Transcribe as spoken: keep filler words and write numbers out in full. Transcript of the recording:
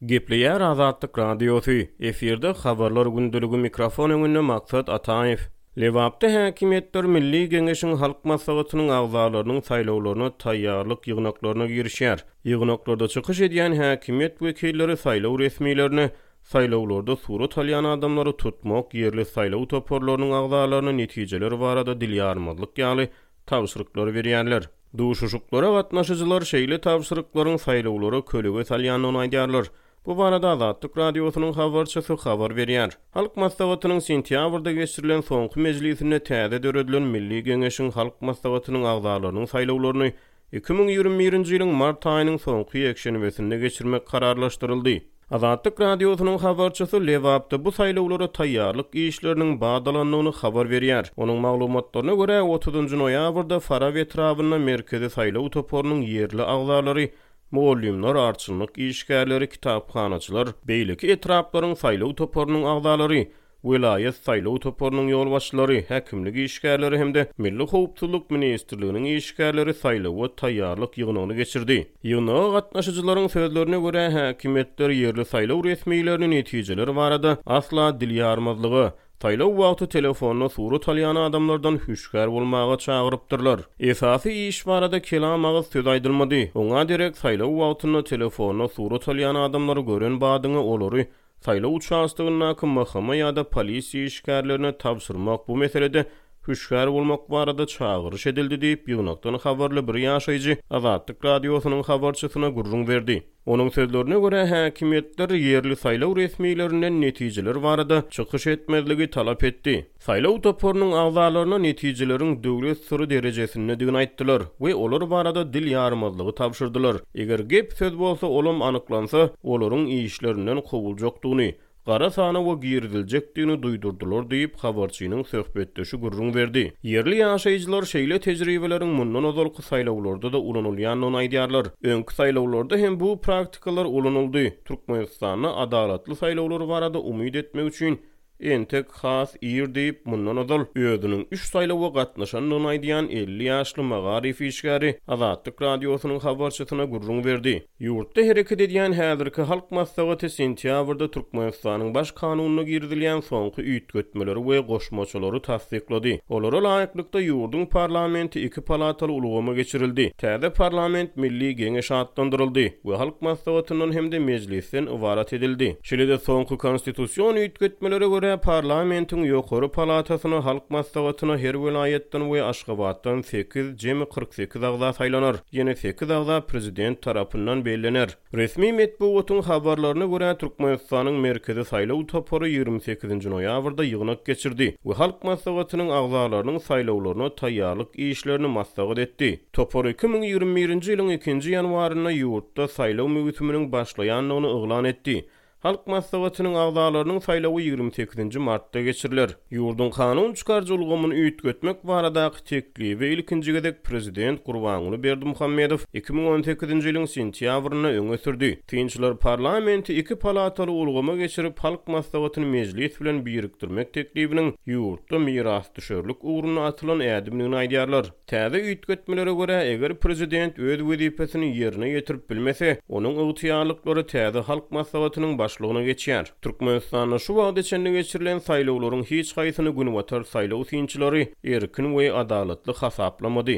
Gepleýär Azatlyk Radiosy, efirde Habarlar gündeligi mikrofon öňünde Maksat Ataýew. Lebapda häkimiýetler Milli Geňeşiň Halk Maslahatynyň agzalarynyň saýlawlaryna taýýarlyk ýygnaklaryna girişýär. Ýygnaklarda çykyş edýän häkimiýet wekilleri saýlaw resmilerine saýlawlarda surat alýan adamlary tutmak, ýerli saýlaw toparlarynyň agzalaryna netijeler barada dil ýarmazlyk ýaly tabşyryklary berýärler. Duşuşyklara gatnaşyjylar şeýle tabşyryklaryň saýlawlara kölege salýandygyny aýdýarlar. Bu barada Azatlyk Radiosynyň habarçysy habar berýär. Halk Maslahatynyň sentýabrda geçirilen soňky mejlisinde täze döredilen Milli Geňeşiň Halk Maslahatynyň agzalarynyň saýlawlaryny iki müň ýigrimi birinji ýylyň mart aýynyň soňky ýekşenbesinde geçirmek kararlaşdyryldy. Azatlyk Radiosynyň habarçysy Lebapda bu saýlawlara taýýarlyk işleriniň badalandygyny habar berýär. Onuň maglumatlaryna görä, otuzynjy noýabrda Farap etrabynda Merkezi saýlaw toparynyň ýerli agzalary, mugallymlar, arçynlyk işgärleri, kitaphanaçylar, beýleki etraplaryň saýlaw toparynyň agzalary, welaýat saýlaw toparynyň ýolbaşçylary, häkimlik işgärleri hem-de Milli howpsuzlyk ministrliginiň işgärleri saýlawa taýýarlyk ýygnagyny geçirdi. Ýygnaga gatnaşyjylaryň sözlerine görä, häkimiýetler ýerli saýlaw resmilerini netijeler barada asla dil ýarmazlyga, saýlaw wagty telefonda surat alýan adamlardan hüşgär bolmaga çagyrypdyrlar. Esasy iş barada kelam agyz söz aýdylmady. Oňa derek saýlaw wagtynda telefonda surat alýan adamlary gören badyňa olary saýlaw uçastogyndaky M H M ýa-da polisiýa işgärlerine tabşyrmak, bu meselede hüşgär bolmak barada çagyryş edildi diýip, ýygnakdan habarly bir ýaşaýjy Azatlyk Radiosynyň habarçysyna gürrüň berdi. Onuň sözlerine görä, häkimiýetler ýerli saýlaw resmilerinden netijeler barada çykyş etmezligi talap etdi. Saýlaw toparynyň agzalaryna netijeleriň döwlet syry derejesindedigini aýtdylar we olar barada dil ýarmazlygy tabşyrdylar. Eger gep söz bolsa, olam anyklansa, olaryň işlerinden kowuljakdygyny, gara sanawa giriziljekdigini duýdurdylar diýip, habarçynyň söhbetdeşi gürrüň berdi. Ýerli ýaşaýjylar şeýle tejribeleriň mundan ozalky saýlawlarda-da ulanylýandygyny aýdýarlar. Öňki saýlawlarda hem bu praktikalar ulanyldy. Türkmenistanda adalatly saýlawlar barada umyt etmek üçin entek has ir diýip, mundan ozal özüniň üç saýlawa gatnaşandygyny aýdýan elli ýaşly magaryf işgäri Azatlyk Radiosynyň habarçysyna gürrüň berdi. Ýurtda hereket edýän häzirki Halk Maslahaty sentýabrda Türkmenistanyň baş kanunyna girizilýän soňky üýtgetmeleri we goşmaçalary tassyklady. Olara laýyklykda ýurduň parlamenti iki palataly ulgama geçirildi. Täze parlament Milli Geňeş atlandyryldy we Halk Maslahatyndan hem-de mejlisden ybarat edildi. Şeýle-de soňky konstitusion üýtgetmelere görä parlamentiň ýokary palatasyna Halk Maslahatyna her welaýatdan we Aşgabatdan sekiz, jemi kyrk sekiz agza saýlanar. Ýene sekiz agza prezident tarapyndan bellener. Resmi metbugatyň habarlaryna görä Türkmenistanyň Merkezi saýlaw topary ýigrimi sekizinji noýabrda ýygnak geçirdi we Halk Maslahatynyň agzalarynyň saýlawlaryna taýýarlyk işlerini maslahat etdi. Topar iki müň ýigrimi birinji ýylyň ikinji ýanwarynda ýurtda saýlaw möwsüminiň başlaýandygyny yglan etdi. Halk Maslahatynyň agzalarynyň saýlawy ýigrimi sekizinji martda geçiriler. Ýurduň kanun çykaryjy ulgamyny üýtgetmek baradaky teklibi ilkinji gezek prezident Gurbanguly Berdimuhamedow iki müň on sekizinji ýylyň sentýabrynda öňe sürdi. Synçylar parlamenti iki palataly ulgama geçirip, Halk Maslahatyny mejlis bilen birikdirmek teklibiniň ýurtda mirasdüşerlik ugruna atylan ädimdigini aýdýarlar. Täze üýtgetmelere görä, eger prezident öz wezipesini ýerine ýetirip bilmese, onuň ygtyýarlyklary täze Halk Maslahatynyň başlygyna geçýär. Türkmenistanda şu wagta çenli geçirilen saýlawlaryň hiç haýsyny günbatar saýlaw synçylary erkin we adalatly hasaplamady.